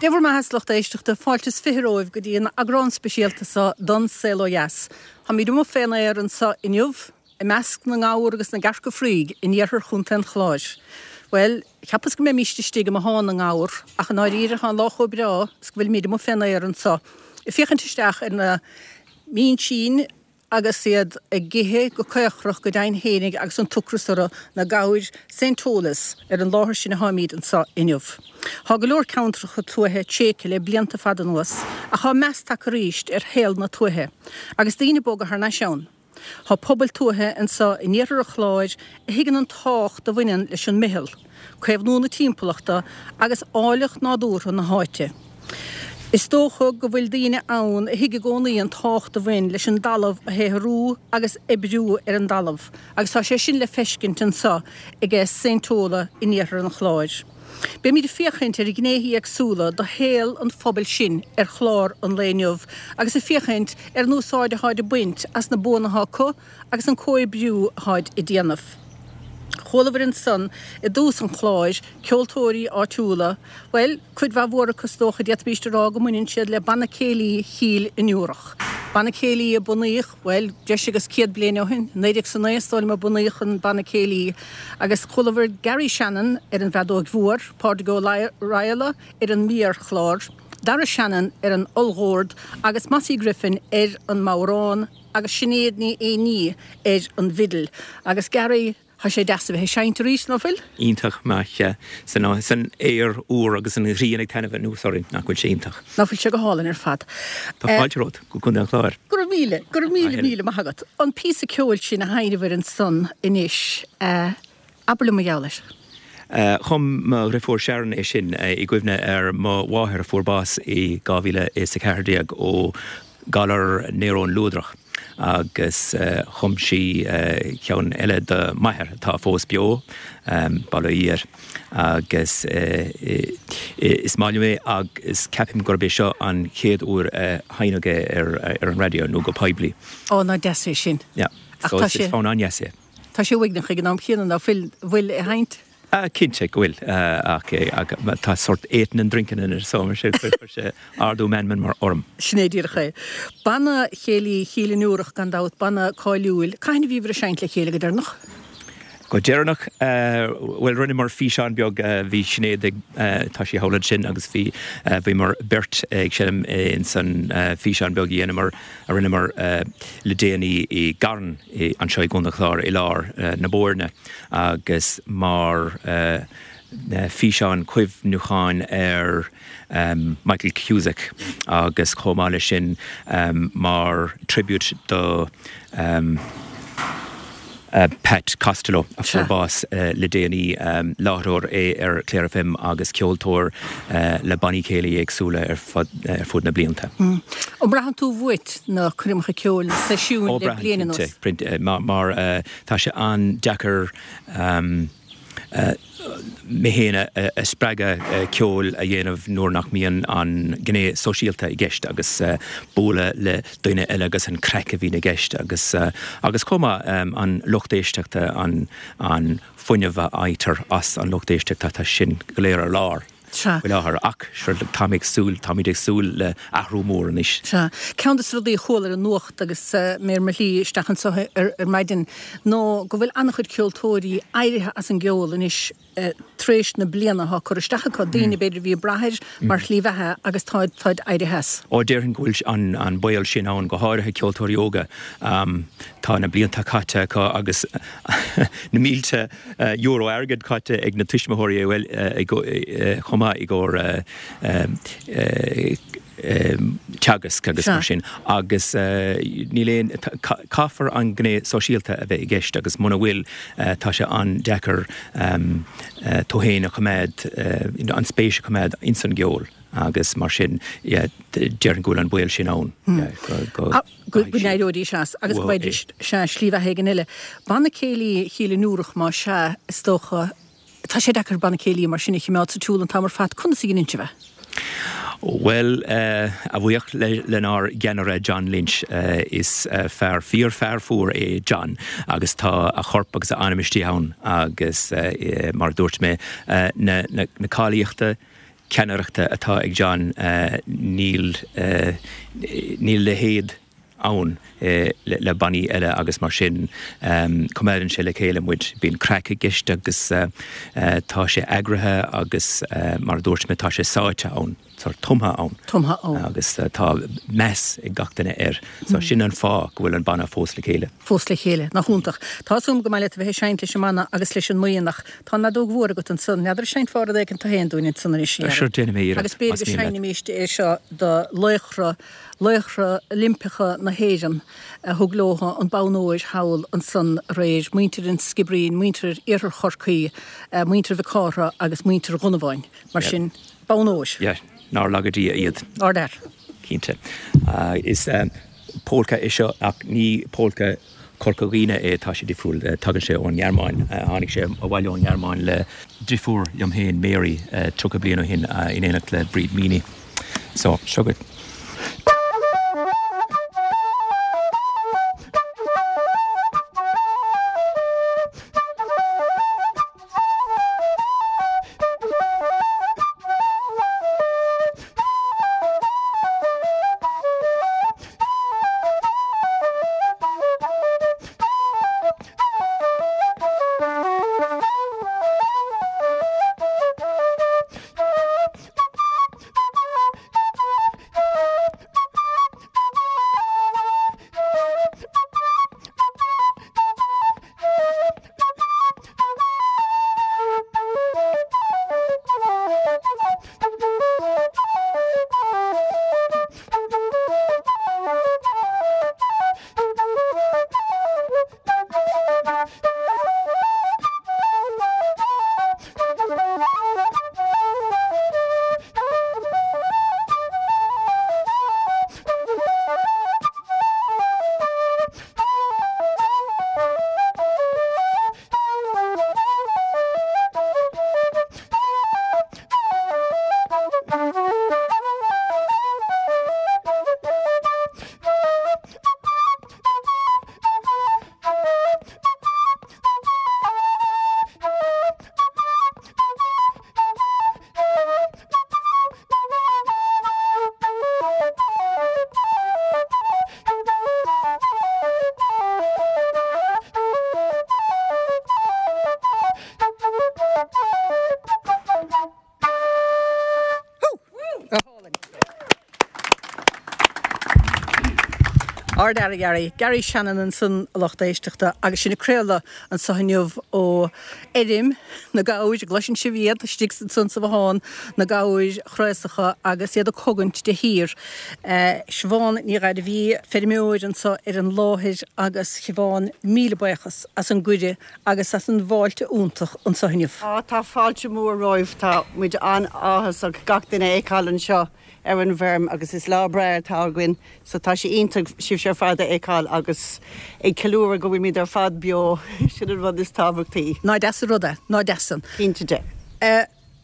Dé bhur mbeatha, a lucht éisteachta, fáilte is 20 romhaibh go dtí an eagrán speisialta seo don Saol Ó Dheas. Táimid amuigh fén aer anso inniu, i measc na ngabhar agus na gcearca fraoigh in iarthar Chontae an Chláir. Bhuel, cheapas go mbeimíst istigh i mbothán na ngabhar, ach i ndáiríre tá an lá chomh breá is go bhfuilimid amuigh fén aer anso, ag féachaint isteach ar na mínsín, agus iad ag ithe go caochrach go deimhin fhéinig agus an t-ocras orthu, na gabhair St. Tolas, ar an láthair sin atáimid anso inniu. Thá go leor ceantracha tuaithe tréigthe le blianta fada anuas, ach thá meas tagtha arís ar shaol na tuaithe, agus daoine ag bogadh thar n-ais ann. Thá pobail tuaithe anso in iarthar an Chláir a thuigeann an tábhacht a bhaineann leis an mbitheall, caomhnú na timpeallachta agus áilleacht nádúrtha na háite. Is dócha go bhfuil daoine ann a thuig i gcónaí an tábhacht a bhain leis an dtalamh a shaothrú agus oibriú ar an dtalamh agus tá sé sin le feiscint anso aige Saint Tola in iarthar an Chláir. Beimid ag féachaint ar ghnéithe éagsúla de shaol an phobail sin ar chlár an lae inniu agus ag féachaint ar an úsáid atáid ag baint as na buanna atá acu agus an comhoibriú atáid ag déanamh. Chualabhair ansan i dtús an chláir, ceoltóirí áitiúla, bhuel, cuid mhaith mhór acu is dócha, d'fhéadfaimíst a rá go mbaineann siad le Banna Céilí Chill an Iúrach. Banna Céilí a bunaíodh, bhuel, breis agus 100 bliain ó shin, 1909 is dóigh liom a bunaíodh an Banna Céilí, agus chualabhair Gary Shannon ar an bhfeadóig mhór, Pádraig Ó Raghallaigh ar an méarchlár, Dara Shannon ar an olldhord agus Mossie Griffin ar an mbodhrán. agus Sinéad Ní Éinní ar an bhfidil. Agus Gary, tá sé deas a bheith ag seinnt arís, ná fuil? Iontach maith, sea. San san aer úr agus an ghrian ag taitneamh anuas orainn, nach bhfuil sé iontach? Ná fuil sé go hálainn ar fad. Tá fáilte romhat go Contae an Chláir. Go raibh míle, go raibh míle, míle maith agat. An píosa ceoil sin a sheinneabhair ansan anois, Abair liom mar gheall air. Chum mo dhriofúr Sharon é sin i gcuimhne ar mo mháthair a fuair bás i 2014 ó ghalar néarón luadrach agus chum sí ceann eile do m'athair atá fós beo, bail ó Dhia air, agus is maith liom é agus ceapaim gurb é seo an chéad uair a sheinneadh é ar an raidió nó go poiblí. Ó, nach deas é sin. Yeah. Ach tá sé. Is fonn an-dheas é. Tá sé uaigneach ag an am chéanna, ná fuil, bhfuil a sheinnt? Cinnte go bhfuil, ach tá sort eating and drinking in it so mar sin chuir sé ardú meanman mar orm. Sin é díreach é. Banna Céilí Chill an Iúrach gan dabht, banna cáiliúil. Cathain a bhíobhair ag seinnt le chéile go deireanach? Go deireanach, bhuel rinneamar físeán beag, bhí Sinéad ag, tá sí thall ansin agus bhí, bhíomar beirt ag seinm ins an físeán beag a dheineamar, a rinneamar le déanaí i gCarn anseo i gContae an Chláir i lár na Boirne agus mar físeán cuimhniúcháin ar Michael Cusack agus chomh maith leis sin mar tribute do Pat Costello a fuair bás le déanaí. Láithreoir é ar Clare FM agus ceoltóir le bannaí céilí éagsúla ar fud na blianta. An mbraitheann tú uait na coirmeacha ceoil, na seisiúin le bliain anuas? Ó, braitheann, cinnte. Mar tá sé an-deacair mé féin a spreagadh ceol a dhéanamh nuair nach mbíonn an gné sóisialta i gceist agus bualadh le daoine eile agus an craic a bhíonn i gceist agus agus chomh maith an lucht éisteachta, an an fuinneamh a fhaightear as an lucht éisteachta, tá sin go léir ar lár. Sea. faoi láthair ach sure táim ag súil, táimid ag súil le athrú mór anois. Sea. Ceann de na rudaí a chuala ar an nuacht agus mé ar mo shlí isteach anseo ar maidin ná go bhfuil an-chuid ceoltóirí éirithe as an gceol anois tar éis na bliana atá curtha isteach acu, daoine b'fhéidir a bhí ag brath air mar shlí bheatha agus táid, táid éirithe as. Ó déarfainn go bhfuil an, an baol sin ann, go háirithe ceoltóirí óga. Tá na blianta caite acu agus na mílte euro airgid caite ag na tuismitheoirí chomh maith i gcomhair teagasc agus mar sin agus níl aon, caithfear an gné sóisialta a bheith i gceist agus muna bhfuil tá sé an-deacair tú féin a choimeád, an spéis a choimeád ins an gceol agus mar sin déarfainn go bhfuil an baol sin ann go. go n-éireoidís as agus go bhfaighidís, sea, slí bheatha éigin eile. Banna Céilí Chill an Iúrach, más ea, is dócha, tá sé deacair banna céilí mar sin a choimeád sa tsiúl an t-am ar fad. Conas a dheineann sibh é? Bhuel, a bhuíoch lenár gceannaire John Lynch, is fear, fíor-fhear fuar é John agus tá a chorp agus a anam istigh ann agus mar a dúirt mé, na, na, na cáilíochta. ceannaireachta atá ag John, níl, níl a leithéid ann le bannaí eile agus mar sin coimeádann sé le chéile muid. Bíonn craic i gceist agus tá sé eagraithe agus mar a dúirt mé tá sé sáite ann, sórt tumtha ann. Tumtha ann. Agus tá meas ag gach duine air. So sin an fáth go bhfuil an banna fós le chéile. Fós le chéile. Nach iontach. Tá 'fhios a'm go maith leat a bheith ag seinnt leis an mbanna agus leis an mbuíon ach tá an fheadóg mhór agat ansan. N'fheadar an seinnfeá rud éicint tú féin dúinn ansan anois, a Gary? Sure, déanfaidh mé iarracht, Agus b'fhéidir go seinnimíst é seo do laochra Laochra Oilimpeacha na hÉireann a thug leo an bonn óir thall ansan aréir, muintir an Sciobairín, muintir Iarthar Chorcaí, muintir Mhic Cártha agus muintir Dhonnabháin. Mar sin, bonn óir. Yeah, nár laga Dia iad. Ardfhear. Cinnte. Is pólca é seo ach ní pólca Chorca Dhuibhne é, tá sé difriúil, tagann sé ón nGearmáin, tháinig sé abhaile ón nGearmáin le driofúr liom féin, Mary, 30 bliain ó shin, in éineacht le Bríd Meaney. So, seo dhuit. Ardfhear a Gary. Gary Shannon ansan a lucht éisteachta agus sinn ag craoladh anso inniu ó fheirm na gabhair, an gcloiseann sibh iad istigh ansan sa bhothán, na gabhair chraosacha agus iad ag cogaint de shíor. Siobhán Ní Ghairbhí, feirmeoir anso ar an láthair agus Siobhán, míle buíochas as an gcuireadh agus as an bhfáilte iontach anso inniu. Á, tá fáilte mhór romhaibh, tá muid an-áthasach gach duine a fheiceáil anseo ar an bhfeirm agus is lá breá atá againn so tá sé iontach sibhse ar fad a fheiceáil agus ag ceiliúradh go bhfuilimid ar fad beo, sin an rud is tábhachtaí. Nach deas an rud é, nach deas san. Cinnte de.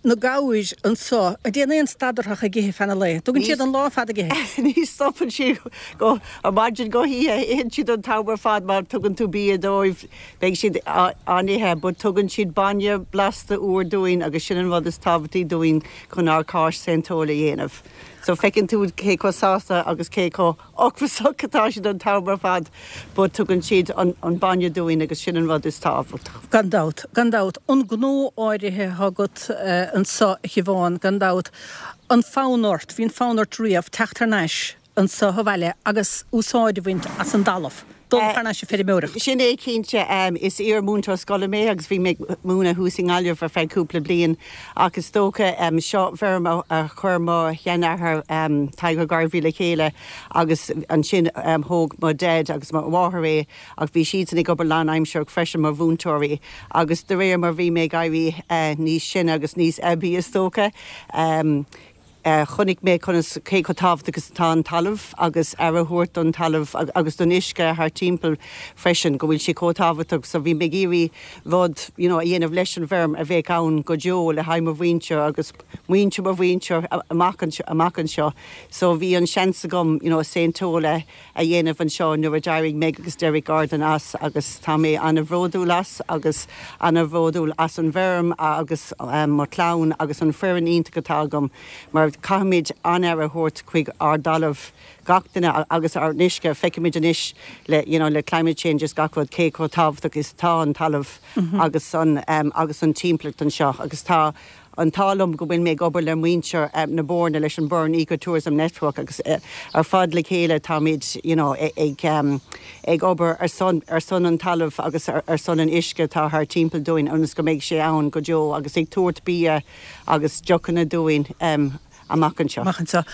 Na gabhair anso, an dtéann aon stad orthu ach ag ithe feadh an lae? Dtugann siad an lá ar fad ag ithe? Ní stopann siad ó mhaidin go hoíche, itheann siad an t-am ar fad má tugann tú bia dóibh, beidh siad á n-ithe, but tugann siad bainne blasta úr dúinn agus sin an rud is tábhachtaí dúinn chun ár cáis sainteoil a dhéanamh. So feiceann tú cé chomh sásta agus cé chomh ocrasach atá siad an t-am ar fad but tugann siad an bainne dúinn agus sin an rud is tábhachtach. Gan dabht, gan dabht. An gnó áirithe atá agat anso a Shiobhán, gan dabht. An fonn ort, bhí an fonn ort riamh teacht thar n-ais anso abhaile agus úsáid a bhaint as an dtalamh, dul thar n-ais ag feirmeoireacht? Sin é cinnte. Is iar-mhúinteoir scoile mé agus bhí mé ag múineadh thuas i nGaillimh ar feadh cúpla bliain ach is dócha seo feirm a chuir mo sheanathair Tadhg Ó Gairbhí le chéile agus ansin thóg mo Dhaid agus mo mháthair é ach bhí siadsan ag obair lánaimsearach freisin mar mhúinteoirí agus de réir mar bhí mé ag éirí níos sine agus níos aibí is dócha. Chonaic mé conas, cé chomh tábhachtach is atá an talamh agus aire a thabhairt don talamh agus don uisce thar timpeall freisin, go bhfuil sé chomh tábhachtach. So bhí mé ag iarraidh rud, you know, a dhéanamh leis an bhfeirm a bheadh ann go deo le haghaidh mo mhuintir agus muintir mo mhuintir amach amach anseo. So bhí an seans agam, you know, Saint Tola a dhéanamh anseo nuair a d'éirigh Meg agus Derek Gordon as agus tá mé ana-bhródúil as agus ana-bhródúil as an bhfeirm agus mo chlann agus an foireann iontach atá agam mar caithfimid an-aire a thabhairt chuig ár dtalamh, gach duine agus ár n-uisce. Feicimid anois le you know le climate change is gach rud cé chomh tábhachtach is atá an talamh agus an agus an timpeallacht anseo agus tá an t-ádh liom go bhfuil mé ag obair le muintir na Boirne, leis an Burren Ecotourism Network agus ar fad le chéile táimid you know ag ag obair ar son ar son an talamh agus ar son an uisce atá thar timpeall dúinn ionas go mbeidh sé ann go deo agus ag tabhairt bia agus deochanna dúinn amach anseo. Amach anseo.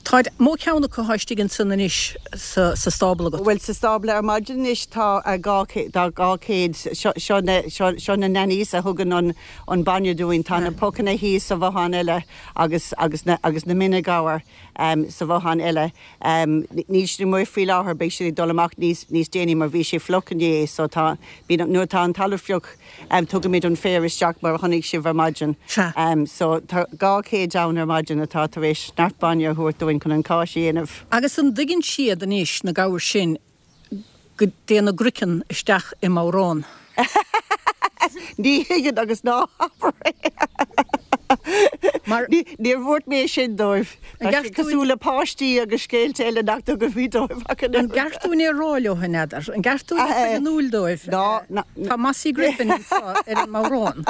Tá mó ceann acu atá istigh ansan anois sa stábla agat. Bhuel, sa stábla ar maidin anois tá 200, seo na, seo na nannies a thugann an, an bainne dúinn. Tá na pocanna thíos sa bhothán eile agus, agus na, agus na mine ghabhair sa bhothán eile. Níl siad amuigh faoi láthair, beidh siad ag dul amach níos, níos déanaí mar bhí sé fliuch inné so tá, bíonn, nuair atá an talamh fliuch, Tugaimid an féar isteach mar a chonaic sibh ar maidin. So tá 200 ann ar maidin atá tar éis neart bainne a thabhairt dúinn chun an cáis a dhéanamh. Agus an dtuigeann siad anois, na gabhair sin, go dtéann a gcraiceann isteach i mbodhrán? Ní thuigeann agus ná habair é. Mar. Níor dhúirt mé sin dóibh. Tá siad cosúil le páistí agus scéalta eile nach dtugaimid dóibh ach an oiread. An gceart dúinn é a rá leo, an n'fheadar? An gceart dúinn a chur in iúl dóibh? Ná, ná. Tá Mossie Griffin anseo ar an mbodhrán.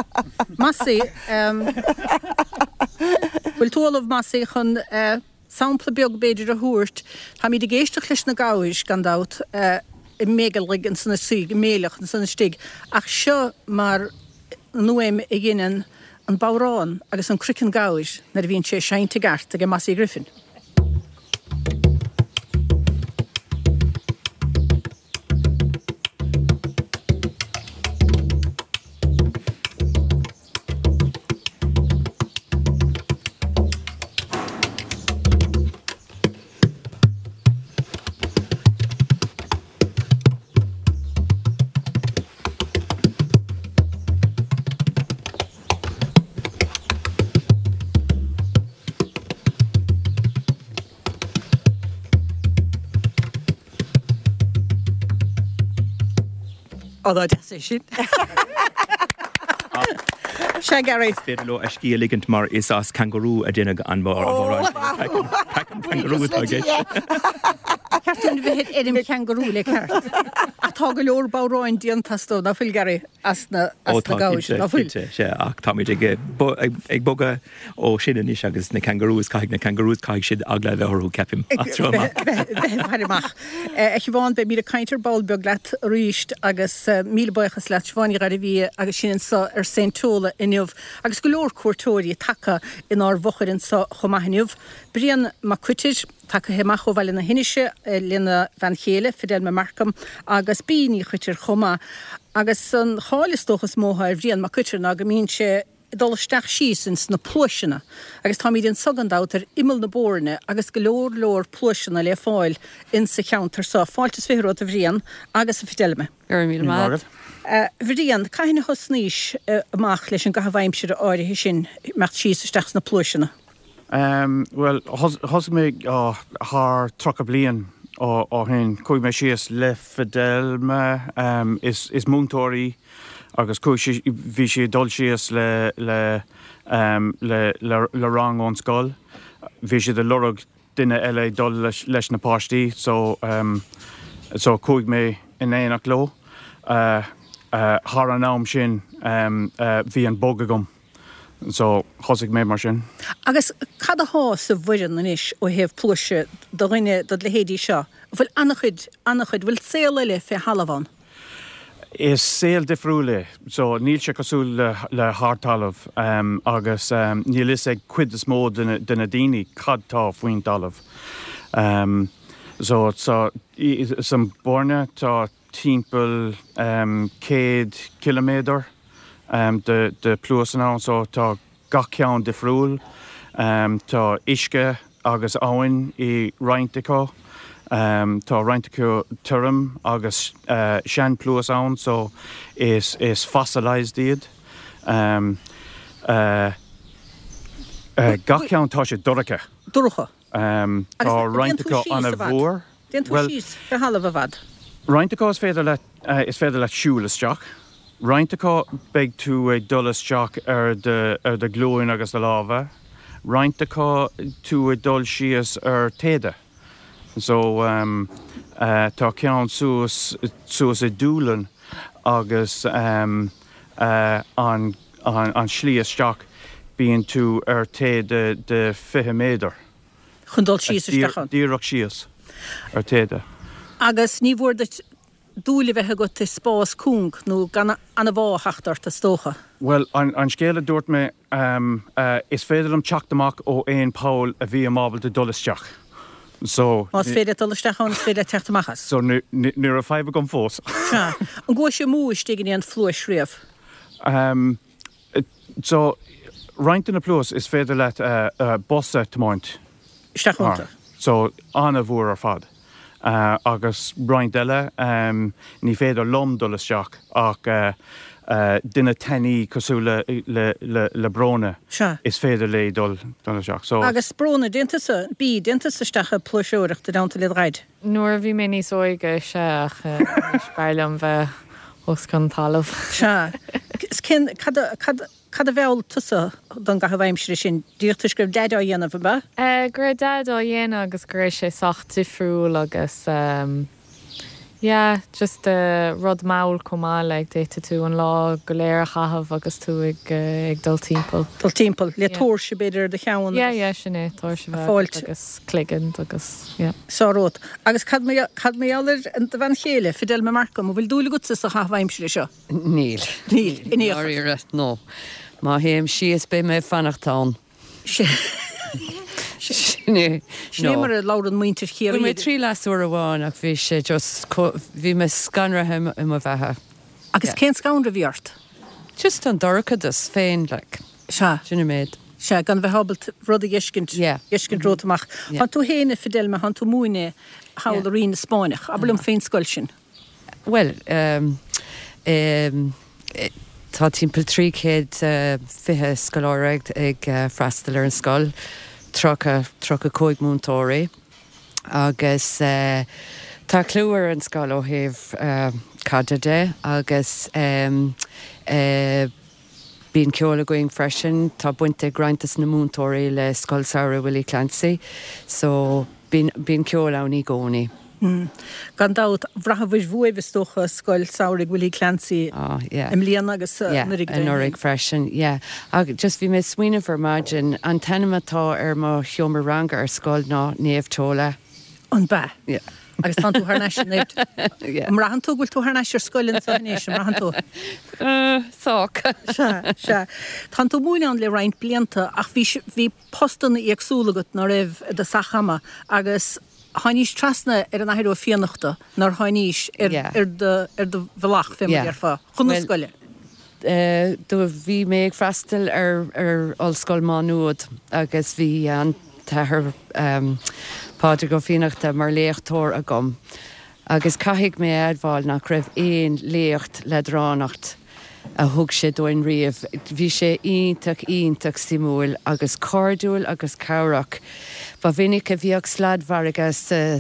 Mossie, bhfuil tú ullamh, Mossie, chun sampla beag b'fhéidir a thabhairt? Táimid ag éisteacht leis na gabhair, gan dabht, ag méigearlaigh ansan istigh, ag méileach ansan istigh, ach seo mar an fhuaim a dheineann an bodhrán agus an croiceann gabhair nuair a bhíonn sé seinnte i gceart ag Mossie Griffin. Ó dá deas é sin. Sea, Gary. Is féidir leo a scíth a ligint mar is as cangarú a deineadh an bodhrán sin. Craiceann cangarú atá i gceist. Ceart dúinn a bheith ar fheirm changarú le ceart. Ach tá go leor bodhráin déanta astu, ná fuil, Gary, as na Ó tá, gabhair, cinnte, ná fuil? cinnte, sea, ach táimid ag ag bogadh ó sin anois agus na kangaroos, caithfidh na kangaroos, caithfidh siad eagla a bheith orthu, ceapaim, as seo amach. Bheith ag faire amach. A Shiobhán, beimid ag caint ar ball beag leat arís agus míle buíochas leat, Siobhán Ní Ghairbhia agus sinn anseo ar Saint Tola inniu agus go leor cuairteoirí tagtha inár bhfochair anseo chomh maith inniu. Brian Mac Coitir, tagtha amach ó Bhaile na hInise lena bhean chéile, Fidelma Markham, agus Bea Ní Choitir chomh maith. Agus an cháil is dócha is mó atá ar Bhrian Mac Coitir ná go mbíonn sé ag dul isteach síos ins na pluaiseanna agus táimid anso gan dabht ar imeall na Boirne agus go leor leor pluaiseanna le fáil ins sa cheantar so. Fáilte is fiche romhat a Bhriain agus a Fidelma. Go raibh míle maith agat. A Bhriain, cathain a thosnaís amach leis an gcaitheamh aimsire áirithe sin, imeacht síos isteach sna pluaiseanna? Bhuel, thosaigh mé thar 30 bliain ó shin. Chuaigh mé síos le Fidelma, is múinteoir í agus chuaigh sí, bhí sí ag dul síos le, le, le, le rang ón scoil. Bhí siad ag lorg duine eile ag dul leis na páistí so, so chuaigh mé in éineacht leo. Thar an am sin bhí an bug agam. So, thosaigh mé mar sin. Agus cad athá sa Bhoireann anois ó thaobh pluaise do dhuine dod leithéidí seo? An bhfuil an-chuid, an-chuid, bhfuil saol eile fé thalamh ann? Is saol difriúil é. So, níl sé cosúil le, le hardtalamh agus níl fhios ag cuid is mó de na, de na daoine cad tá faoin dtalamh. So, so, san Boirne tá timpeall 100 ciliméadar de pluaiseanna ann so tá gach ceann difriúil. Tá uisce agus abhainn i roinnt acu. Tá roinnt acu tirim agus seanphluais ann so is fossilised iad. Gach ceann tá sé dorcha. Dorcha. Tá roinnt acu an-mhór. Téann tú síos fé thalamh i bhfad. Roinnt acu is féidir leat is féidir leat siúl isteach. Roinnt acu beidh tú ag dul isteach ar do ar do ghlúin agus do lámha. Roinnt acu tú ag dul síos ar téada. So tá ceann suas suas i Dúlainn agus an an an slí isteach bíonn tú ar téada de 20 méadar. Chun dul síos isteach ann. Díreach síos ar téada. Agus ní mhór duit dúil a bheith agat i spás cúng nó gan anbhá a theacht ort, is dócha. Bhuel, an scéal a dúirt mé, is féidir liom teacht amach ó aon poll a bhím ábalta dul isteach. So. Más féidir leat dul isteach ann, is féidir leat teacht amach as. So, ní raibh fadhb agam fós. Sea. An gcuais amú istigh in aon phluais riamh? So, roinnt de na pluais is féidir leat bus a tiomáint. Isteach iontu. So, an-mhór ar fad. Agus roinnt eile, ní féidir liom dul isteach ach duine tanaí cosúil le Bróna, is féidir léi dul isteach. So. Agus Bróna, dtéann tusa, B, dtéann tusa isteach ag pluaiseoireacht i dteannta le do dhaid? Nuair a bhí mé níos óige, sea, ach anois b'fhearr liom bheith os cionn talaimh. Sea. Is cén, cad a, cad, cad a mheall tusa don gcaitheamh aimsire sin? Díreach toisc go raibh Daid á dhéanamh, ab ea? Go raibh Daid á dhéanamh agus go raibh sé sách difriúil agus yeah, just rud mall chomh maith, like d'fhéadfadh tú an lá go léir a chaitheamh agus tú ag ag dul timpeall. Dul timpeall, le tóirse b'fhéidir ar do cheann Yeah, yeah, sin é, tóirse a bheith agat agus cloigeann agus yeah. Sárrud. Agus cad mar cad mar gheall ar do bhean chéile, Fidelma Markham, an bhfuil dúil agatsa sa chaitheamh aimsire seo? Níl. Níl, in aon chor. Dáiríre, no. Má théim síos beidh mé ag fanacht ann. Sin é. Sin é mar a labhrann muintir Chiarraí. Bhain mé triail as uair amháin ach bhí sé just, bhí mé scanraithe i mo bheatha. Agus cén scanradh a bhí ort? Just an dorchadas féin, like. Sea. Sin an méid. Sea, gan bheith ábalta rud a dh'fheiscint, dh'fheiscint romhat amach. Tánn tú féin, a Fidelma, tánn tú ag múineadh thall i Rinn na Spáinneach. Abair liom faoin scoil sin. Bhuel, tá timpeall 320 scoláire ag freastal ar an scoil, 30, 35 múinteoirí agus tá clú ar an scoil ó thaobh caide de agus Bíonn ceol againn freisin. Tá baint ag roinnt des na múinteoirí le Scoil Samhraidh Willie Clancy so bíonn bíonn ceol ann i gcónaí. Gan dabht, bhraitheabhair uaibh is dócha Scoil Samhraidh Willie Clancy i mbliana agus anuraidh go deimhin. Anuraidh freisin, yeah. Ach just bhí mé ag smaoineamh ar maidin, an t-ainm atá ar mo sheomra ranga ar scoil ná Naomh Tola. An b'ea? Yeah. Agus tánn tú thar n-ais in Naomh. An mbraitheann tú go bhfuil tú thar n-ais ar scoil anso anois, an mbraitheann tú? Sách. Sea, sea. Tánn tú ag múineadh ann le roinnt blianta ach bhí, bhí postanna éagsúla agat ná raibh i do sach ama agus tháinís trasna ar an Athair Ó Fiannachta nár tháinís ar, ar do, ar do bhealach fé mar a déarfá, chun na scoile. Do bhí mé ag freastal ar ar Ollscoil Má Nuad agus bhí an tAthair Pádraig Ó Fiannachta mar léachtóir agam agus caithfidh mé a admháil nach raibh aon léacht leadránach a thug sé dúinn riamh. Bhí sé iontach iontach suimiúil agus cairdiúil agus cabhrach. Ba mhinic a bhíodh sladmhargadh sa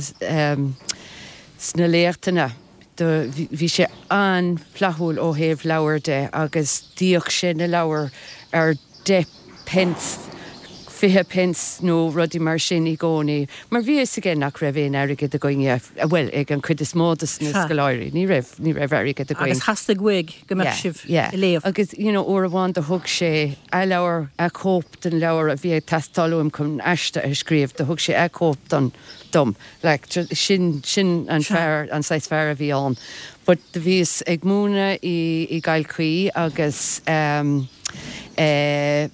sna léachtanna. Do bhí sé an-fhlaithiúil ó thaobh leabhar de agus d'íoc sé na leabhair ar 10 pence, 20 pence nó rudaí mar sin i gcónaí mar bhí a fhios aige nach raibh aon airgead againne, bhuel ag an chuid is mó de na scoláirí, ní raibh, ní raibh airgead againn. Agus theastaigh uaidh go mbeadh sibh ag léamh. Agus you know uair amháin do thug sé a leabhar, a chóip den leabhar a bhí ag teastáil uaim chun aiste a scríobh, do thug sé a chóip don, dom. Like, sin, sin an fear, an saghas fear a bhí ann. But do bhíos ag múineadh i, i gCill Chaoi agus ehm eh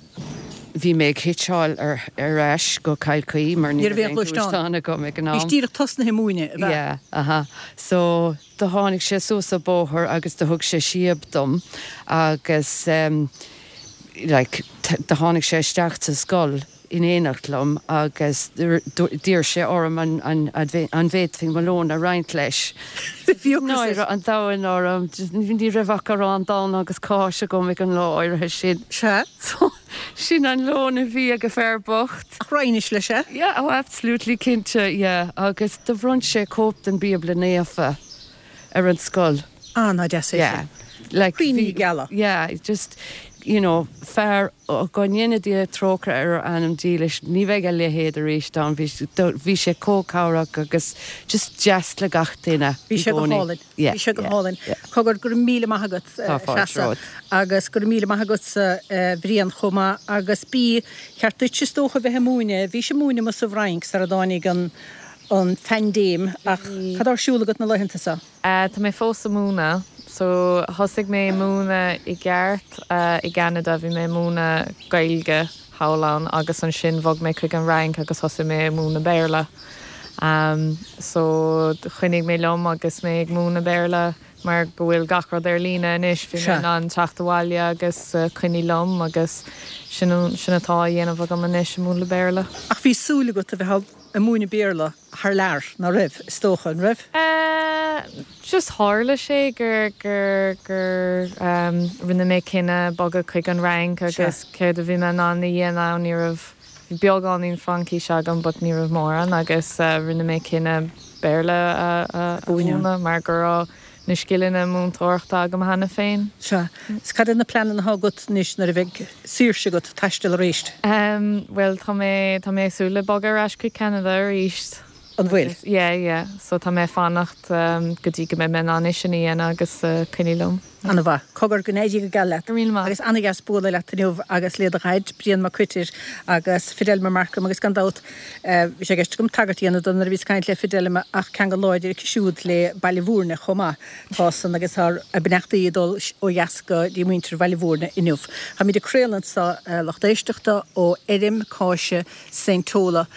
bhí mé ag hitseáil ar, ar ais go Cill Chaoi mar ní raibh aon ghluaisteán agam ag an am. Bhís díreach tosnaithe ag múineadh, ab ea? Yeah, aha. So do tháinig sé suas an bóthar agus do thug sé síob dom agus ehm like do tháinig sé isteach sa scoil. in éineacht liom agus d'iarr sé orm an bhféadfainn mo lón a roinnt leis. Náire an domhain orm, ní raibh ach arán donn agus cáis agam ag an lá áirithe sin. Sea. So, sin an lón a bhí ag an fear bocht. Ach roinnis leis é? Yeah, oh absolutely, cinnte, yeah. Agus do bhronn sé cóip den Bíobla Naofa ar an scoil. Ah, nach deas é sin. Like, Cuimhní geala. Yeah, just, you know, fear, go ndéana Dia trócaire ar a anam dílis, ní bheidh a leithéid arís ann, bhí, bhí sé chomh cabhrach agus just deas le gach duine i gcónaí. Bhí sé go hálainn. Yeah, Bhí sé go yeah, hálainn. yeah. Cogar, go raibh míle maith agat, Tá fáilte Treasa, romhat. agus go raibh míle maith agatsa, a Bhriain, chomh maith. Agus ba cheart duit, is dócha, bheith ag múineadh, bhís ag múineadh amuigh sa bhFrainc sara dtáinig an, an phaindéim, ach cad tá ar siúl agat na laethanta seo? Tá mé fós ag múineadh. So, thosaigh mé ag múineadh i gceart i gCeanada, bhí mé ag múineadh Gaeilge thall ann agus ansin bhog mé chuig an Fhrainc agus thosaigh mé ag múineadh Béarla. So, choinnigh mé liom agus mé ag múineadh Béarla mar go bhfuil gach rud ar líne anois, bhí mé in ann teacht abhaile agus coinneáil liom agus sin sin atá á dhéanamh agam anois, ag múineadh Béarla. Ach bhí súil agat a bheith ag múineadh Béarla thar lear, ná raibh, is dócha, an raibh? Eh, just tharla sé gur, gur, gur ehm, rinne mé cinneadh bogadh chuig an Fhrainc agus céard a bhí mé in ann a dhéanamh ann, ní raibh, bhí beagáinín Fraincís agam but ní raibh mórán agus eh rinne mé cinneadh Béarla a, a, a mhúineadh mar go raibh na scileanna múinteoireachta agam cheana féin. Sea. Is cad iad na pleananna atá agat anois nuair a bheidh saoirse agat taisteal arís? Em, bhuel tá mé, tá mé ag súil le bogadh ar ais chuig Ceanada arís. An bhfuil? Yeah, yeah. So tá mé ag fanacht go dtí go mbeidh mé in ann é sin a dhéanamh agus coinneáil liom. Ana-mhaith. Cogar, go n-éirí go geal leat. Go raibh míle maith. Agus ana-dheas bualadh leat inniu agus le do dhaid, Brian Mac Coitir agus Fidelma Markham agus gan dabht bhí sé i gceist agam tagairt a dhéanamh dó nuair a bhíos ag caint le Fidelma ach ceangal láidir aici siúd le Baile Bhúirne chomh maith. Tá san agus tá ár mbeannachtaí ag dul ó dheas go dtí muintir Bhaile Bhúirne inniu. Táimid ag craoladh anseo, a lucht éisteachta, ó fheirm cáise Saint Tola.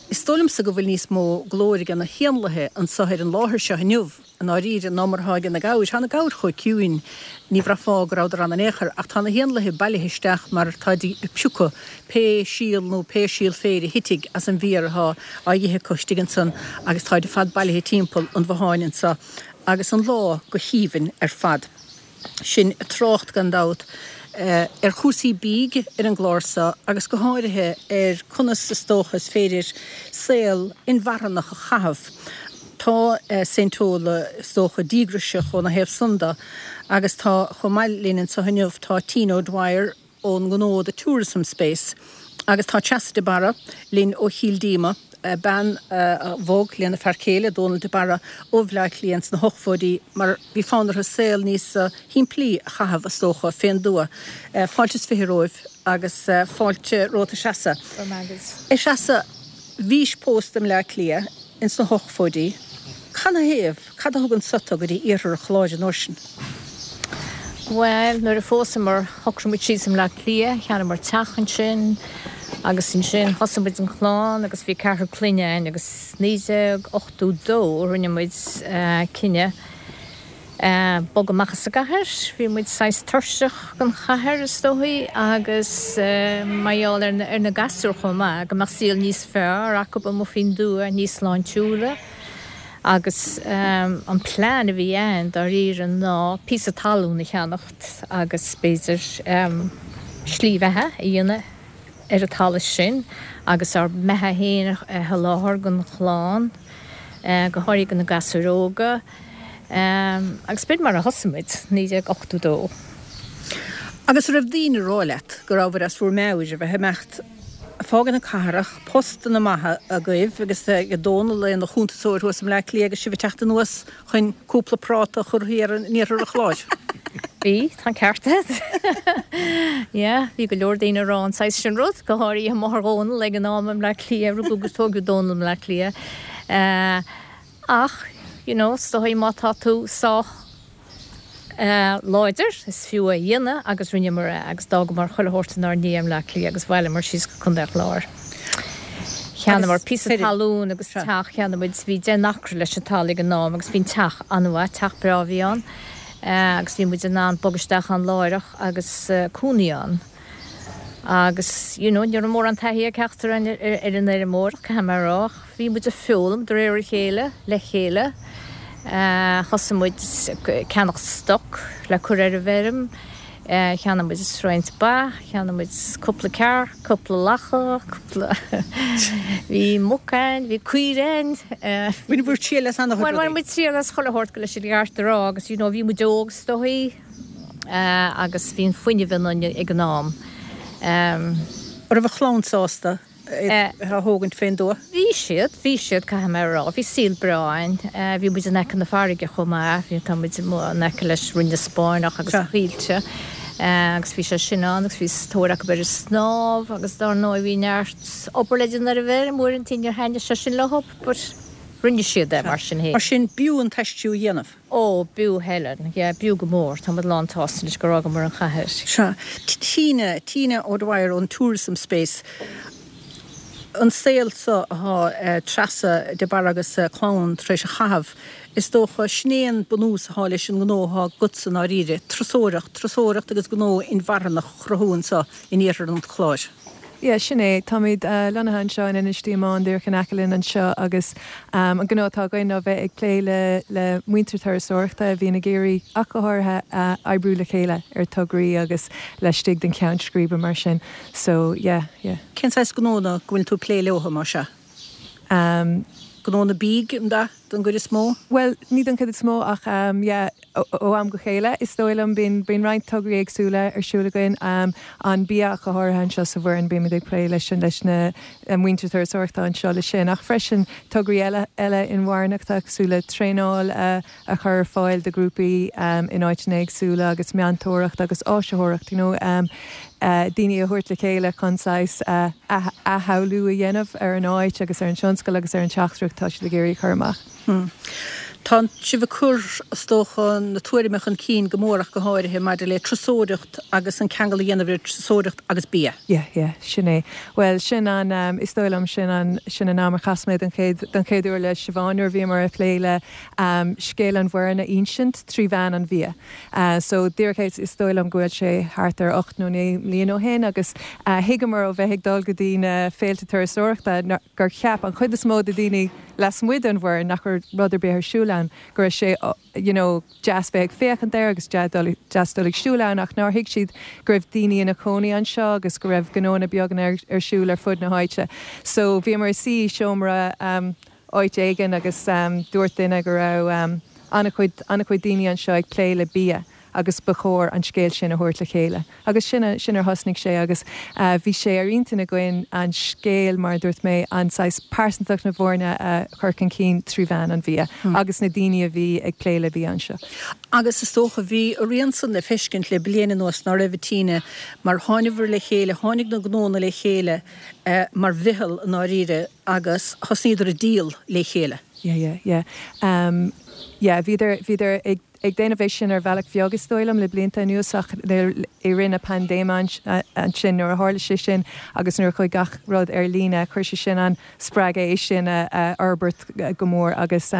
Is dóigh liomsa go bhfuil níos mó glóir ag na héanlaithe anseo ar an láthair seo inniu. I ndáiríre, ná mar atá ag na gabhair. Tá na gabhair chomh ciúin, ní bhraithfeá go rabhadar ann in aon chor, ach tá na héanlaithe bailithe isteach mar táid ag piocadh pé síol nó pé síol féir a thitfidh as an bhféar atá á dh'ithe acu istigh ansan agus táid ar fad bailithe timpeall an bhotháin anso agus an lá go haoibhinn ar fad. Sinn ag trácht, gan dabht, ar chúrsaí bídh ar an gclár so agus go háirithe ar conas is dócha is féidir saol inmharthanach a chaitheamh. Tá Saint Tola, is dócha, díograiseach óna thaobh san de agus tá chomh maith linn anseo inniu tá Tina O'Dwyer, ón ngnó The Tourism Space agus tá Treasa de Barra linn ó Chill Díoma, bean a bhog lena fear céile, Dónal de Barra, ó Bhleá Cliath ins na hochtóidí mar bhí fonn orthu saol níos shimplí a chaitheamh, is dócha, fén dtuath. Fáilte is fiche romhaibh agus fáilte romhat a Threasa. Go raibh maith agat. A Threasa, bhís pósta i mBleá Cliath ins na hochtóidí. Canathaobh? Cad a thug anso tú go dtí iarthar an Chláir an uair sin? Bhuel, nuair a phósamar, shocraigh muid síos i mBleá Cliath, cheannaíomar teach ansin agus ansin thosaigh muid an chlann agus bhí ceathrar clainne againn agus 1982 rinne muid cinneadh bogadh amach as an gcathair. Bhí muid saghas tuirseach den chathair is dóichí agus mar gheall ar na gasúir chomh maith, go mbeadh saol níos fearr acu amuigh faoin dtuath, níos sláintiúla. Agus an plean a bhí a'inn dáiríre ná píosa talún a cheannacht agus b'fhéidir slí bheatha a dhéanamh ar an talamh sin agus ár mbeatha féin a sholáthar don chlann, go háirithe do na gasúir óga. Agus b'in mar a thosaigh muid, 1982. Agus an raibh daoine ag rá leat go rabhabhair as bhur meabhair a bheith ag imeacht ag fágaint na cathrach, postanna maithe agaibh agus ag Dónal ina chuntasóir thuas i mBleá Cliath agus sibh ag teacht anuas chun cúpla práta a chur thiar in iarthar an Chláir. Bhí, tá an ceart agat. Yeah, bhí go leor daoine ag rá an saghas sin rud, go háirithe máthair Dhónaill ag an am i mBleá Cliath, rugadh agus tógadh Dónal i mBleá Cliath. Ach, you know, is dóigh má tá tú sách láidir, is fiú é a dhéanamh agus rinneamar é agus d'fhágamar chuile shórt inár ndiaidh i mBleá Cliath agus bhailíomar síos go Contae an Chláir. Cheannaíomar píosa talún agus teach, cheannaigh muid, bhí deich n-acra leis an talamh ag an am agus bhí an teach an-mhaith, teach breá a bhí ann agus bhí muid in ann bogadh isteach ann láithreach agus cónaí ann. Agus, you know, ní raibh mórán taithí ag ceachtar againn ar an fheirmeoireacht, caithfidh mé a rá, ach bhí muid ag foghlaim de réir a chéile, le chéile. Thosaigh muid ag ceannach stoc le cur ar an bhfeirm, cheannaigh muid roinnt ba, cheannaigh muid cúpla cearc, cúpla lacha, cúpla, bhí muc againn, bhí caoire againn. Bhain bhur triail as an-chuid rudaí. Bhuel, bhain muid triail as chuile shórt, leis an gceart a rá, agus, you know, bhí muid óg is dóigh. agus bhí an fuinneamh ionainn ag an am. An raibh an chlann sásta é a thógaint fén dtuath? Bhí siad, bhí siad, caithfidh mé a rá. Bhí saol breá againn. Bhí muid in aice na farraige chomh maith, bhí, tá muid in aice leis Rinn na Spáinneach agus na Coillte agus bhí sé sin ann agus bhí tóir acu ar an snámh agus dár ndóigh bhí neart obair le déanamh ar an bhfeirm uaireanta níor thaitnigh sé sin leo but rinne siad é mar sin féin. Mar sin b'fhiú an t-aistriú a dhéanamh. Ó, b'fhiú, Helen. Yeah, b'fhiú go mór. Tá muid lán tsásta anois gur fhágamar an chathair. Sea. Tina, Tina O'Dwyer ón Tourism Space. An saol seo athá Treasa de Barra agus a clann tar éis a chaitheamh, is dócha, sin é an bunús athá leis an ngnó athá agatsa i ndáiríre, turasóireacht, turasóireacht agus gnó inmharthanach a chruthú anseo in iarthar an Chláir. Yeah, sin é. Táimid lonnaithe anseo in Inis Díomáin, díreach in aice linn anseo agus an gnó atá againn ná bheith ag plé le le muintir turasóireachta a bhíonn ag iarraidh, ach go háirithe, oibriú le chéile ar tograí agus laistigh den cheann scríbe mar sin. So, yeah, yeah. Cén saghas gnónna go bhfuil tú ag plé leo, más ea? Gnónna bídh, an ea, don gcuid is mó? Bhuel, ní don chuid is mó ach yeah, ó am go chéile, is dóigh liom. Bíonn, bíonn roinnt tograí éagsúla ar siúl againn. An bia ach go háirithe anseo sa Bhoireann, bímid ag plé leis an, leis na muintir turasóireachta anseo le sin. Ach freisin tograí eile, eile inmharthanachta cosúil le traenáil a, a chur ar fáil do ghrúpaí in áiteanna éagsúla agus meantóireacht agus áisitheoireacht, you know, daoine a thabhairt le chéile chun saghas athshamhlú a dhéanamh ar an áit agus ar an tionscal agus ar an teachtaireacht atá siad ag iarraidh a chur amach. Tá sibh ag cur, is dócha, na tuairime chun cinn go mór ach go háirithe maidir le turasóireacht agus an ceangal a dhéanamh idir turasóireacht agus bia. Yeah, yeah, sin é. Bhuel, sin an, is dóigh liom, sin an, sin an am ar chas mé don chéad, don chéad uair le Siobhán nuair a bhíomar ag plé le scéal an Bhoirinn a insint trí mheán an bhia. So, díreach é, is dóigh liom go bhfuil sé thart ar 8 nó 9 mbliana ó shin agus thuigeamar ó bheith ag dul go dtí na féilte turasóireachta gur cheap an chuid is mó de daoine lasmuigh den Bhoireann nach raibh rud ar bith ar siúl ann, go raibh sé you know deas bheith ag féachaint air agus deas dul ag siúl ann ach nár thuig siad go raibh daoine ina chónaí anseo agus go raibh gnóanna beaga ar siúl ar fud na háite. So bhíomar ag suí i seomra áit éigin agus dúirt duine go raibh an-chuid an-chuid daoine anseo ag plé le bia agus ba chóir an scéal sin a thabhairt le chéile. Agus sin sin ar thosnaigh sé agus bhí sé ar intinn againn an scéal, mar a dúirt mé, an saghas pearsantacht na Boirne a chur chun cinn trí mheán an bhia agus na daoine a bhí ag plé le bia anseo. Agus is dócha, bhí a rian san le feiscint le bliain anuas, ná raibh, a Tina, mar tháinigheabhair le chéile, tháinig na gnónna le chéile mar mheitheal i ndáiríre agus thosnaíodar ag díol le chéile. Yeah, yeah, yeah. Yeah, bhíodar, bhíodar ag ag déanamh é sin ar bhealach bheag is dóigh liom le blianta anuas ach i rith na paindéime ansin nuair a tharla sé sin agus nuair a chuaigh gach rud ar líne chuir sé sin an spreagadh é sin a fhorbairt go mór agus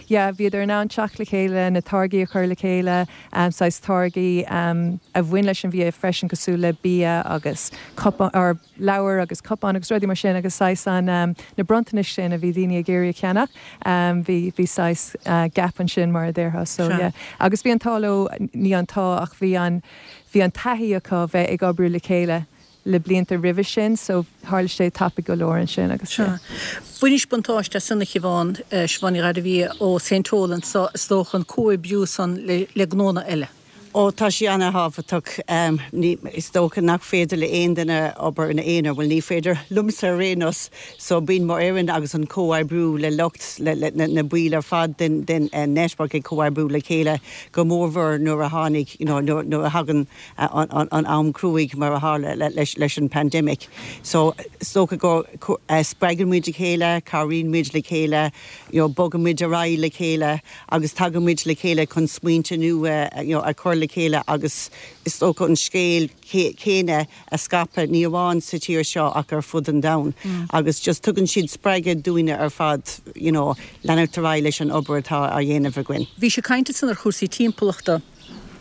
yeah bhíodar in ann teacht le chéile na táirgí a chur le chéile saghas táirgí a bhain leis an bhia freisin cosúil le bia agus cupán or leabhair agus cupáin agus rudaí mar sin agus saghas an, na bronntanais sin a bhí daoine ag iarraidh a cheannach, bhí, bhí saghas gap ansin mar a déarfá so yeah. Agus bhí an t-ádh leo, ní an t-ádh ach bhí an, bhí an taithí acu bheith ag oibriú le chéile le blianta roimhe sin so tharla sé tapaidh go leor ansin agus yeah. Bhainis buntáiste as san a Shiobhán, Siobhán Ní Ghairbhia ó St. Toll anso is dócha an comhoibriú san le, le gnónna eile. Ó, tá sé ana-thábhachtach. Is dócha nach féidir le aon duine obair ina aonar, bhuel ní féidir liomsa ar aon nós, so bíonn mo fhoireann agus an comhoibriú le lucht, le na baill ar fad den den network ag comhoibriú le chéile, go mórmhór nuair a tháinig, you know, nuair a thagann an am cruaidh mar a tharla leis an pandemic. So is dócha go spreagann muid a chéile, cabhraíonn muid le chéile, you know, bogann muid ar aghaidh le chéile. agus tagann muid le chéile chun smaointe nua you know a chur le chéile agus is dócha an scéal céanna a scaipeadh ní amháin sa tír seo ach ar fud an domhain agus just tugann siad spreagadh dúinne ar fad you know leanacht ar aghaidh leis an obair atá á dhéanamh againn. Bhís ag caint ansan ar chúrsaí timpeallachta.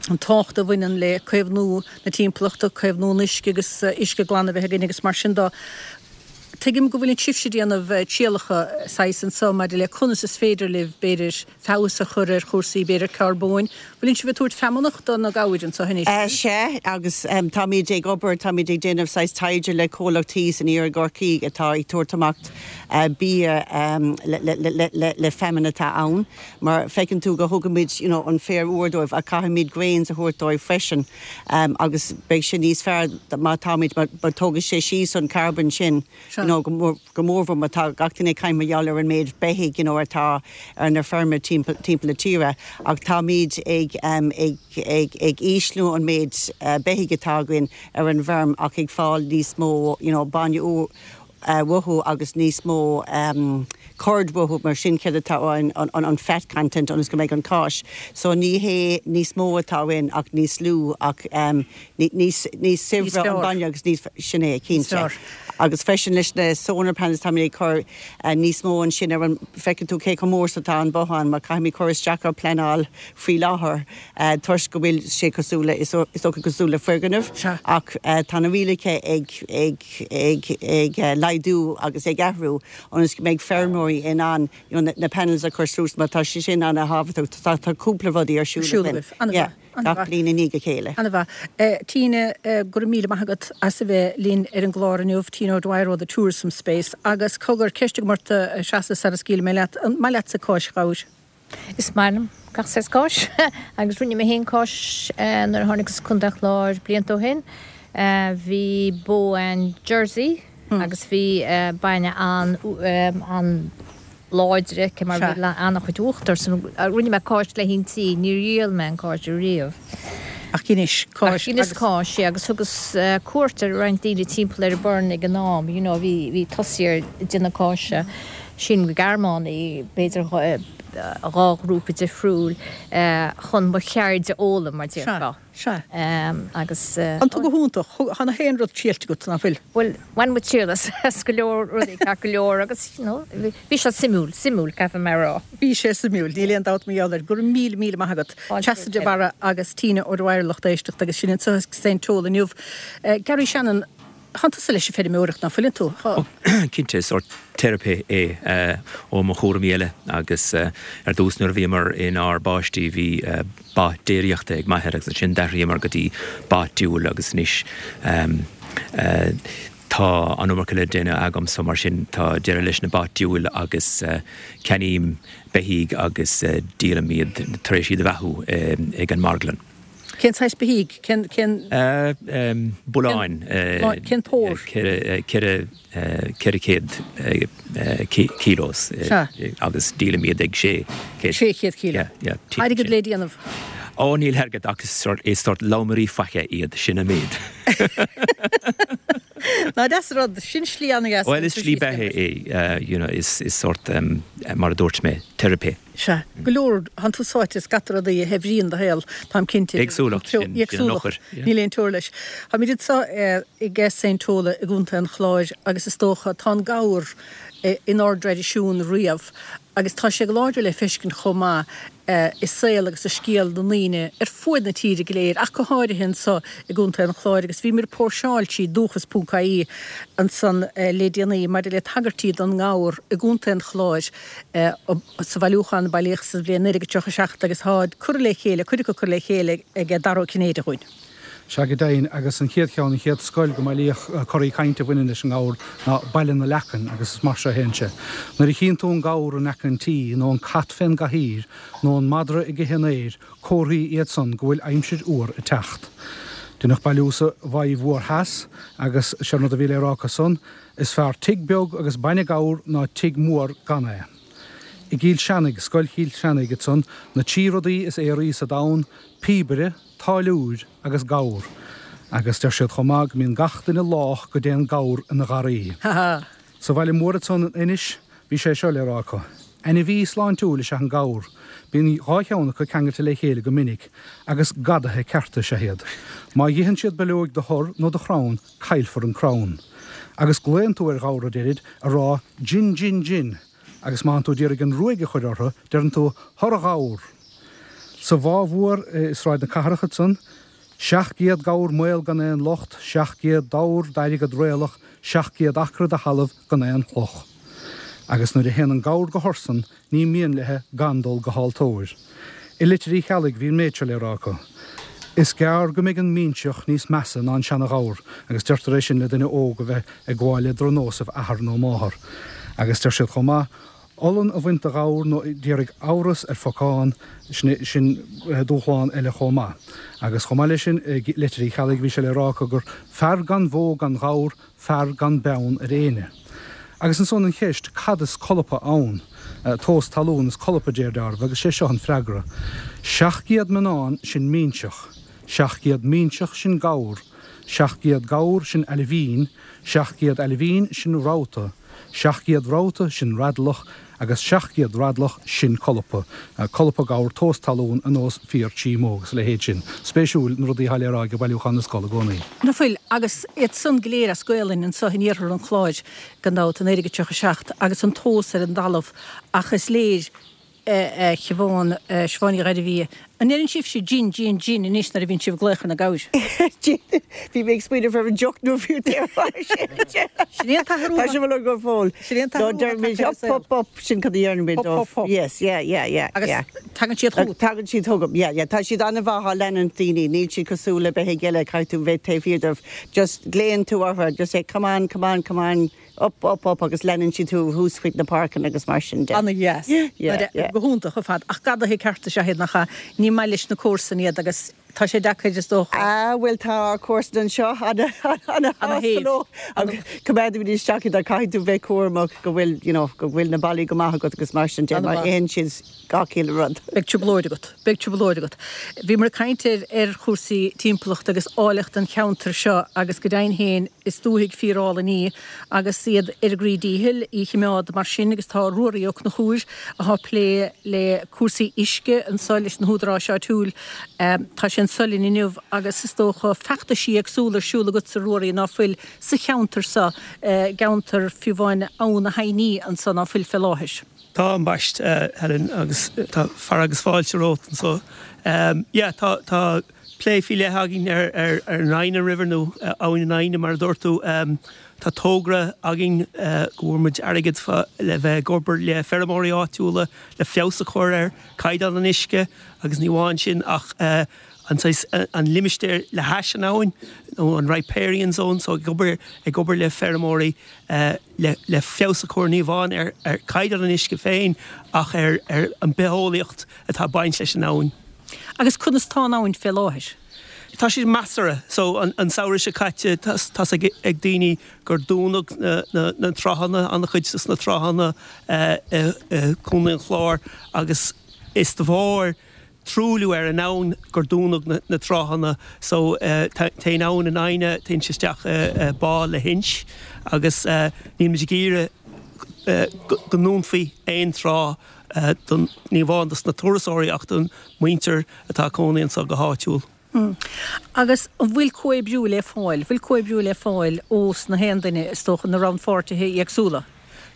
an tábhacht a bhaineann le caomhnú na timpeallachta, caomhnú an uisce agus uisce glan a bheith againn agus mar sin de. Tuigim go bhfuileann sibhse ag déanamh trialacha saghas anso maidir le conas is féidir libh, b'fhéidir, feabhas a chur ar chúrsaí, b'fhéidir, carbóin. Bhfuileann sibh ag tabhairt feamnach do na gabhair anso anois? Sea, agus táimid ag obair, táimid ag déanamh saghas taighde le comhlacht thíos in iarthar Chorcaí atá ag tabhairt amach bia le feamainn atá ann. Mar feiceann tú go thugaimid you know an féar úr dóibh ach caithfimid grains a thabhairt dóibh freisin agus beidh sé níos fearr má táimid, má tógfaidh sé síos an carbon sin you know go mór, go mórmhór má tá gach duine ag caint mar gheall ar an méid beithígh you know atá ar na feirme timpeall, timpeall na tíre ach táimid ag ag ag ag ísliú an méid beithígh atá againn ar an bhfeirm ach ag fáil níos mó you know bainne úr uathu agus níos mó curd uathu mar sin céard atá ann an fat content ionas go mbeidh an cáis so ní hé níos mó atá ann ach níos lú ach níos níos saibhre an bainne agus níos sin é cinnte agus freisin leis na solar panels táimid ag cur níos mó ansin ar an feiceann tú cé chomh mór is atá an bothán mar caithfimid cur isteach ar pleanáil faoi láthair toisc go bhfuil sé cosúil le, is dócha cosúil le foirgneamh, ach tá na rialacha ag, ag, ag, ag laghdú agus ag athrú ionas go mbeidh feirmeoirí in ann you know na panels a chur suas mar tá sé sin ana-thábhachtach. Tá, tá cúpla rudaí ar siúl againn. An-mhaith. Gach bliain i ndiaidh a chéile. An-mhaith. Tina, go raibh míle maith agat as a bheith linn ar an gclár inniu, Tina O'Dwyer ó The Tourism Space. Agus cogar, ceist agam ort, a Threasa, sara scaoilfidh mé leat, an maith leatsa cáis ghabhair? Is maith liom gach saghas cáis agus rinne mé féin cáis nuair a tháinigeas Contae an Chláir blianta ó shin. Bhí bó a'inn Jersey agus bhí bainne an-láidir aici mar bhí an-chuid uachtar so rinne mé cáis le inti, níor dhíol mé an cáis ariamh. Ach dheinis cáis agus. Ach dheineas cáis, yeah, agus thugas cuairt ar roinnt daoine timpeall ar an Burren ag an am, you know, bhí, bhí tosaithe ar déanamh cáise, sílim go Gearmánaigh, b'fhéidir 2 ghrúpa difriúil, chun mo cheird a fhoghlaim, mar déarfá. Sea, sea. Agus. Tá tú go hiontach. Tá na haon rud triailte agat, nach bhfuil? Bhuel, bhain muid triail as go leor rudaí, ceart go leor, agus, you know, bhí sé suimiúil, suimiúil, caithfidh mé a rá. Bhí sé suimiúil, níl aon dabht mar gheall air. Go raibh míle, míle maith agat. Treasa de Barra agus Tina O'Dwyer, lucht éisteachta, agus sinn anseo i Saint Tola inniu. Garry Shannon, Tánn tusa leis an feirmeoireacht, ná fuileann tú? Tá. Cinnte, is sórt teiripe é ó mo chúraimí eile agus ar dtús nuair a bhíomar inár bpáistí bhí ba déiríochta ag m'athair agus ansin d'athraíomar go dtí ba diúil agus anois tá an iomarca le déanamh agam so mar sin tá deireadh leis na ba diúil agus ceannaím beithígh agus díolaim iad tar éis iad a bheathú ag an marglann. Cén saghas beithígh? Cén, cén. Bulláin. Cén pór? 400 kilos. Sea. Agus díolaim iad ag 600. 600 kilo. Yeah, yeah. Airgead le déanamh. Ó, níl airgead ach is sórt lomairí faiche iad, sin an méid. Ná deas an rud, sin slí an-dheas. Bhuel, is slí beatha é, you know, is sórt, mar a dúirt mé, teiripe. Sea, go leor, tánn tú sáite i scata rudaí a shaibhríonn do shaol, táim cinnte. Éagsúlacht, sin an eochair. Níl aon teora leis. Táimid anseo i Saint Tola i gContae an Chláir agus is dócha, tá an gabhar inár dtraidisiún riamh agus tá sé go láidir le feiscint chomh maith i saol agus i scéal na ndaoine ar fuaid na tíre go léir ach go háirithe anseo i gContae an Chláir agus bhíomar ag póirseáil trí dúchas.ie ansan le déanaí maidir le tagairtí don ngabhar i gContae an Chláir sa bhailiúchán a bailíodh sa bhliain 1937 agus tá curtha le chéile, cuid acu curtha le chéile ag Dara Ó Cinnéide dhúinn. Sea, go deimhin, agus an chéad cheann, an chéad scoil go mbailíodh corraí cainte a bhaineann leis an ngabhar ná Baile na Leacan agus is mar seo a théann sé, Nuair a chíonn tú an gabhar in aice an tí, nó an cat fén gcathaoir, nó an madra ag ithe an fhéir, comharthaí iad san go bhfuil aimsir fhuar ag teacht. Deineadh bailiú sa Mhaigh Mhór Theas agus sé an rud a bhí le rá acu san, Is fearr tigh beag agus bainne gabhar ná tigh mór gan é. I gCill Seanaigh, Scoil Chill Seanaigh, ansan, na trí rudaí is aoraí sa domhan, píobaire, táilliúir agus gabhar. Agus deir siad chomh maith go mbíonn gach duine lách go dtéann gabhar ina gharraí. Sa bhaile mór ansan in Inis, bhí sé seo le rá acu, Ainmhí sláintiúil is ea an gabhar. Bíonn dhá cheann acu ceangailte le chéile go minic, agus gadaithe cearta is ea iad. Má dh'itheann siad bileoig de thor nó de chrann, caillfear an crann. Agus glaonn tú ar ghabhar a deirid, a rá Gin gin gin! Agus má thánn tú d'iarraidh an ruaig a chuir orthu, deireann tú Thor a ghabhar! Sa Bhá Mhór i Sráid na Cathrach ansan, 700 gabhar maol gan aon locht, 700 dobhar d'airgead réalach, 700 acra de thalamh gan aon chloch. Agus nuair a théann an gabhar go hursan, ní mian leithe gan dul go haltóir. I Leitir Uí Cheallaigh bhí an méid seo le rá acu, Is gearr go mbeidh an minseach níos measa ná an seana-ghabhar, agus deirtear é sin le duine óg a bheith ag gabháil le drochnósaibh athar nó máthar. Agus deir siad chomh maith, Olann a bhaint de ghabhar nó d'iarraidh amhras ar phocán, sin, sin dúshlán eile chomh maith. Agus chomh maith leis sin, i Leitir Uí Cheallaigh bhí sé le rá acu gur fear gan bhó gan ghabhar, fear gan beann ar éinne. Agus ansan an cheist, cad is colpa ann? Tomhas talún is colpa, deir deáramh, agus sé seo an freagra. 700 mionnán, sin minseach. 700 minseach, sin gabhar. 700 gabhar, sin ailbhín. 700 ailbhín, sin rabhta. 700 rabhta, sin radlach, agus 700 radlach, sin colpa. Colpa gabhar, tomhas talún, ar nós fíor tí mó agus a leithéid sin. Spéisiúil na rudaí atá le rá ag Bailiúchán na Scol i gcónaí. Ná fuil? Agus iad san go léir as Gaolainn anso in iarthar an Chláir, gan dabht, i 1937, agus an tomhas ar an dtalamh, ach is léir, a Shiobhán, Siobhán Ní Ghairbhí, An ndeireann sibhse gin, gin, gin anois nuair a bhíonn sibh ag glaoch ar na gabhair? Gin. Bhí mé ag smaoineamh ar an deoch nuair a bhí tú ag rá sin. Sin é an t-athrú. Tá sé bhfuil go fóill. Sin é an t-athrú. No, deirimid up, up, up, sin cad a deirimid. Up, up, up. Yes, yeah, yeah, yeah. Agus tagann siad chugat. Tagann siad chugam, yeah, yeah. Tá siad an-mhaith á leanúint daoine, níl siad cosúil le beithígh eile, caithfidh tú bheith taobh thiar dóibh. Just glaonn tú orthu, just say come on, come on, come on. Up, up, up agus leanann siad thú thuas chuig na páirceanna agus mar sin de. Ana-dheas. Yeah, yeah. Go hiontach ar fad. Ach gadaithe cearta is ea iad, nach ea? Ní maith leis na comharsain iad agus tá sé deacair, is dócha. Ah, bhuel tá ár comharsain anseo ana-shásta leo. Agus coimeádaimid isteach iad ach caithfidh tú bheith cúramach go bhfuil, you know, go bhfuil na ballaí go maith agat agus mar sin de mar itheann siad gach uile rud. Beidh trioblóid agat. Beidh trioblóid agat. Bhíomar ag caint ar ar chúrsaí timpeallachta agus áilleacht an cheantair seo agus go deimhin féin is dúthaigh fíor-álainn í agus iad ar a gcroí díchill í chimeád mar sin agus tá Ruairí Ó Conchúir athá plé le cúrsaí uisce anso leis na húdaráis áitiúil. Tá sé anso linn inniu agus is dócha feachtaisí éagsúla ar siúl agatsa Ruairí ná fuil sa cheantar seo, i gceantar fiú amháin Abhainn na hAibhní anso ná fuil fé láthair. Tá, ambaist, Helen, agus tá fear agus fáilte romhat anso. Yeah, tá, tá plé faoi leith againn ar, ar, ar an Inagh River nó Abhainn na hAibhne mar a dúirt tú. Tá togra againn go bhfuair muid airgead fá le bheith ag obair le feirmeoirí áitiúla le feabhas a chur ar caighdeán an uisce agus ní amháin sin ach an saghas, an limistéar le hais an abhainn nó an riparian zone so ag obair, ag obair le feirmeoirí le feabhas a chur ní amháin ar chaighdeán an uisce féin ach ar an bitheolaíocht atá ag baint leis an abhainn. Agus conas tá an abhainn fé láthair? Tá sé measartha. So an samhradh seo caite tá's ag daoine gur dúnadh na tráthanna, an-chuid des na tráthanna i gContae an Chláir agus is de bharr truailliú ar an abhainn gur dúnadh na tráthanna so téann abhainn na hAibhne, téann sé isteach i bá le hInse agus níl muid ag iarraidh go ndúnfaí aon trá don, ní amháin dos na turasóirí ach don muintir atá ag cónaí anseo go háitiúil. Agus an bhfuil comhoibriú le fáil, bhfuil comhoibriú le fáil ós na haon duine, is dócha, na rannpháirtithe éagsúla?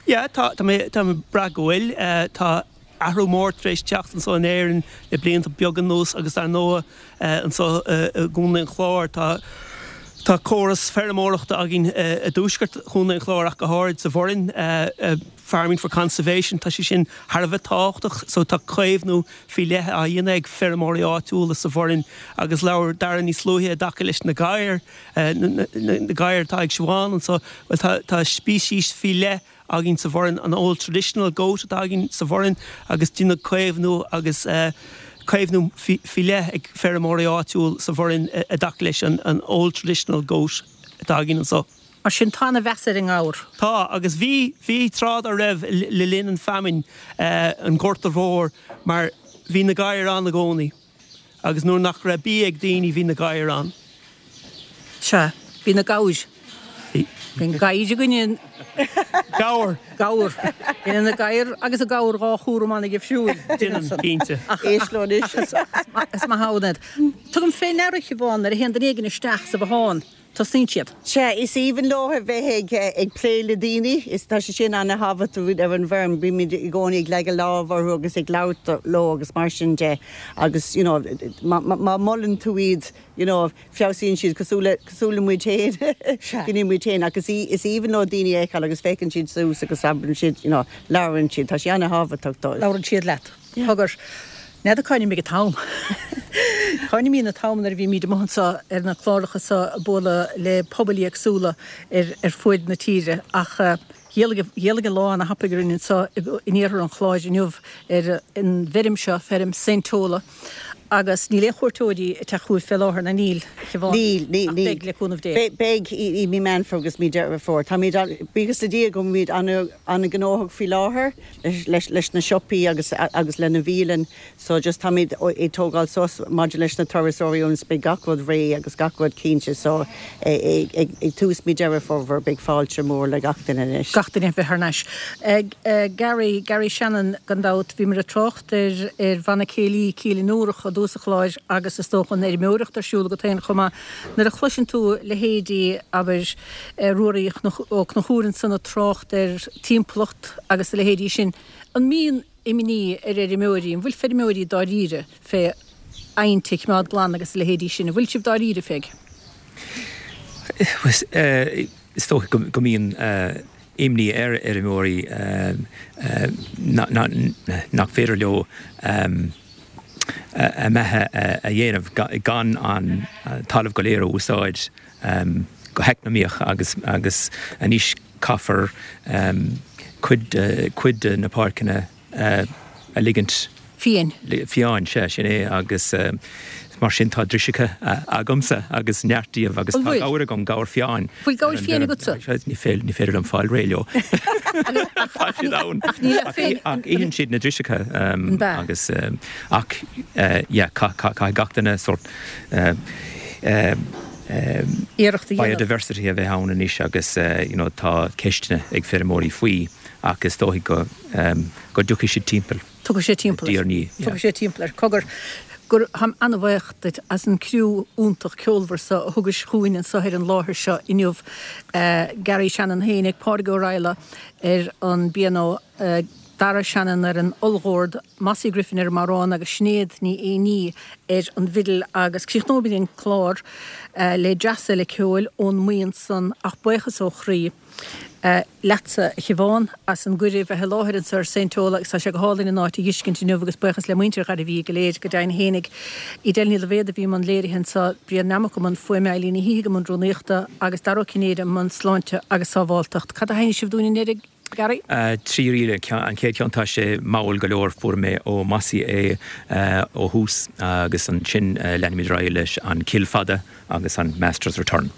Yeah, tá, tá mé, tá mé ag brath go bhfuil. Tá athrú mór tar éis teacht anseo in Éirinn le blianta beaga anuas agus dar ndóigh anseo i gContae an Chláir tá, tá córas feirmeoireachta againn i dtuaisceart Chontae an Chláir ach go háirid sa Bhoirinn, Farming for Conservation, tá sé sin thar a bheith tábhachtach so tá caomhnú faoi leith á dhéanamh ag feirmeoirí áitiúla sa Bhoirinn agus labhair Dara níos luaithe i dtaca leis na gadhair, na gadhair atá ag Siobhán anseo, bhuel tá, tá speicis faoi leith againn sa Bhoirinn, an Old Traditional Goat atá againn sa Bhoirinn agus déanadh caomhnú agus caomhnú faoi leith ag feirmeoirí áitiúil sa Bhoirinn i dtaca leis an Old Traditional Goat atá againn anseo. Mar sin, tá ana-mheas ar an ngabhar. Tá, agus bhí, bhí tráth dá raibh le linn an feamainn, an Ghorta Mhóir, mar bhí na gadhair ann i gcónaí agus nuair nach raibh bia ag daoine bhí na gadhair ann. Sea, bhí na gabhair. Bhí. Bhí an gadhair againne in. Gabhar. Gabhar. Bhí na gadhair agus an gabhar dhá chúram ana-dhifriúil. Déanann, cinnte. Ach, ach, ach is maith ann iad. Tugaim fé ndeara, a Shiobhán, nuair a théann duine éigin isteach sa bhothán. Tosnaíonn siad. Sea, is aoibhinn leo a bheith ag plé le daoine. Is tá sé sin ana-thábhachtach ar an bhfeirm. Bímid i gcónaí ag leagadh lámh orthu agus ag labhairt leo agus mar sin de. Agus, you know, má mholann tú iad, you know, feabhsaíonn siad cosúil le, cosúil le muid féin. Gní muid féin. Ach is is aoibhinn leo daoine a fheiceáil agus féachann siad suas agus abrann siad, you know, labhrann siad. Tá sé ana-thábhachtach dóibh. Labhrann siad leat. Cogar, n'fheadar cá n-imigh an t-am. Cá n-imíonn an t-am nuair a bhímid amuigh anseo ar na cláracha seo ag bualadh le pobail éagsúla ar fuaid na tíre ach d'éalaigh an lá ana-thapaidh orainn anseo in iarthar an Chláir inniu ar an bhfeirm seo, feirm Saint Tola agus níl aon chuairteoirí ag teacht chugaibh fé láthair, ná níl, a Shiobhán? Níl, níl, Ach níl. beidh, le cúnamh Dé. Beidh, beidh i mí Meán Fómhair agus mí Deireadh Fómhair. Táimid, buíochas le Dia go bhfuilimid an-ghnóthach faoi láthair. leis leis na siopaí agus agus lena bhialann so just táimid ag tógáil sos maidir leis na turasóirí ionas beidh gach rud réidh agus gach rud cinnte so ag ag tús mí Deireadh Fómhair beidh fáilte mór le gach duine anois. Gach duine a bheith thar n-ais. Gary, Gary Shannon gan dabht, bhíomar ag trácht ar ar bhanna céilí Cill na nDúrach i dtús an chláir agus is dócha an fheirmeoireacht ar siúl agat féin chomh maith. Nuair a chloiseann tú leithéidí, abair, Ruairí Ó Conchúir ansan ag trácht ar timpeallacht agus a leithéidí sin, an mbíonn imní ar fheirmeoirí, an bhfuil feirmeoirí dáiríre fé aibhnte a choimeád glan agus a leithéidí sin, an bhfuil sibh dáiríre fé? Is dócha go mbíonn imní ar fheirmeoirí nach féidir leo a mbeatha a dhéanamh gan an talamh go léir a úsáid go heacnamaíoch agus agus anois caithfear cuid cuid de na páirceanna a ligint Fiáin. Fiáin, sea, sin é agus mar sin tá driseacha agamsa agus neart díobh agus tá gabhar agam, gabhar fiáin. Bhfuil gabhair fiáin agatsa? Ní féidir liom fáil réidh leo. Tá siad ann. Ach itheann siad na driseacha agus ach yeah caithfidh gach duine sórt iarracht a dhéanamh. Biodiversity a bheith ann anois agus you know tá ceisteanna ag feirmeoirí faoi ach is dóigh go go dtiocfaidh siad timpeall. Tiocfaidh sé timpeall air. Diaidh ar ndiaidh, yeah. Tiocfaidh sé timpeall air. Cogar, gur, táim an-bhaoch duit as an criú iontach ceolmhar so a thugais chugainn anso ar an láthair seo inniu. Gary Shannon féinig, Pádraig Ó Raghallaigh ar an bpianó, Darragh Shannon ar an olldord, Mossie Griffin ar an mbodhrán agus Sinéad Ní Éinní ar an bhfidil agus críochnóimid an clár le dreas eile ceoil ón mbuíon san ach buíochas ó chroí leatsa a Shiobhán as an gcuireadh bheith i láthair anseo ar Saint Tola agus tá sé go hálainn an áit a dh'fheiscint inniu agus buíochas le muintir Ghairbhí go léir go deimhin fhéinig. Edel Ní Loibhéad a bhí i mbun léirithe anseo, Brian Nammock i mbun fuaime, Eileen Ní Shíthigh i mbun rúnaíochta agus Dara Ó Cinnéide i mbun sláinte agus sábháltacht. Cad a sheinnfidh sibh dúinn i ndeireadh? Gary? 3 ríl. An chéad cheann tá sé mall go leor, fuair mé ó Mossie é ó thús agus ansin leanfaimid ar aghaidh leis an Cill Fada agus an Master's Return.